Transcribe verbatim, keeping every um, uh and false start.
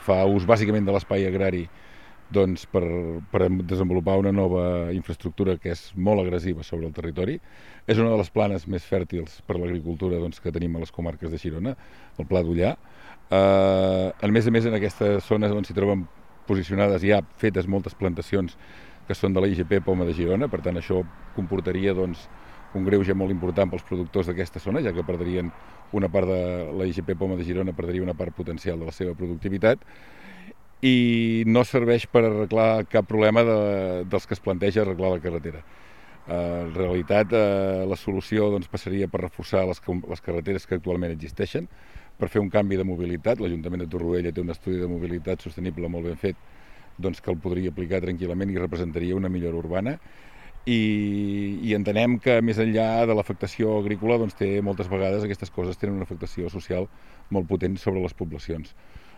fa ús bàsicament de l'espai agrari doncs, per, per desenvolupar una nova infraestructura que és molt agressiva sobre el territori. És una de les planes més fèrtils per l'agricultura doncs, que tenim a les comarques de Girona, el Pla d'Ullà. Eh, a més a més, en aquesta zona on s'hi troben posicionades ja fetes moltes plantacions que són de la I G P Poma de Girona, per tant això comportaria doncs, un greuge molt important pels productors d'aquesta zona, ja que perdrien una part de la I G P Poma de Girona, perdria una part potencial de la seva productivitat, i no serveix per arreglar cap problema de, dels que es planteja arreglar la carretera. Eh, en realitat, eh, la solució doncs, passaria per reforçar les, les carreteres que actualment existeixen, per fer un canvi de mobilitat. L'Ajuntament de Torroella té un estudi de mobilitat sostenible molt ben fet, doncs, que el podria aplicar tranquil·lament i representaria una millora urbana. I, i entenem que més enllà de l'afectació agrícola doncs, té moltes vegades aquestes coses tenen una afectació social molt potent sobre les poblacions.